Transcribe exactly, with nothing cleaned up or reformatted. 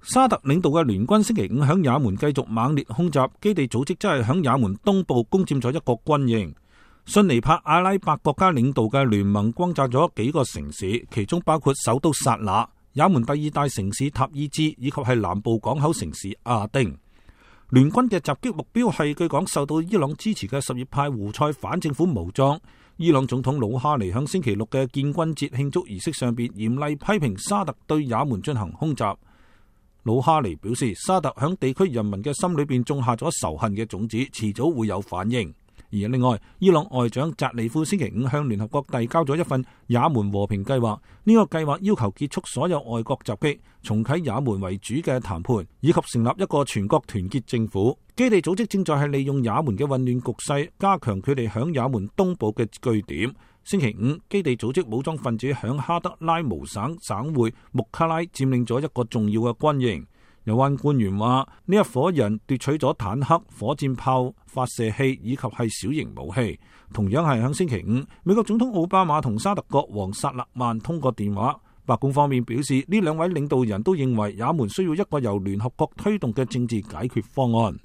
沙特領導嘅聯軍星期五響也門繼續猛烈空襲，基地組織真係響也門東部攻佔咗一個軍營。遜尼派阿拉伯國家領導嘅聯盟轟炸咗幾個城市，其中包括首都薩那、也門第二大城市塔伊茲以及係南部港口城市阿丁。聯軍嘅襲擊目標係據講受到伊朗支持嘅什葉派胡塞反政府武裝。伊朗總統魯哈尼響星期六嘅建軍節慶祝儀式上邊嚴厲批評沙特對也門進行空襲。魯哈尼表示，沙特響地區人民嘅心裏邊種下咗仇恨嘅種子，遲早會有反應。而另外，伊朗外長扎利夫星期五向聯合國遞交咗一份也門和平計劃，呢個計劃要求結束所有外國襲擊，重啟也門為主嘅談判，以及成立一個全國團結政府。基地組織正在係利用也門嘅混亂局勢，加強佢哋響也門東部嘅據點。星期五，基地組織武裝分子響哈德拉姆省省會穆卡拉佔領咗一個重要嘅軍營。有關官員話，呢一夥人奪取咗坦克、火箭炮、發射器以及係小型武器。同樣係響星期五，美國總統奧巴馬同沙特國王薩勒曼通過電話。白宮方面表示，呢兩位領導人都認為也門需要一個由聯合國推動嘅政治解決方案。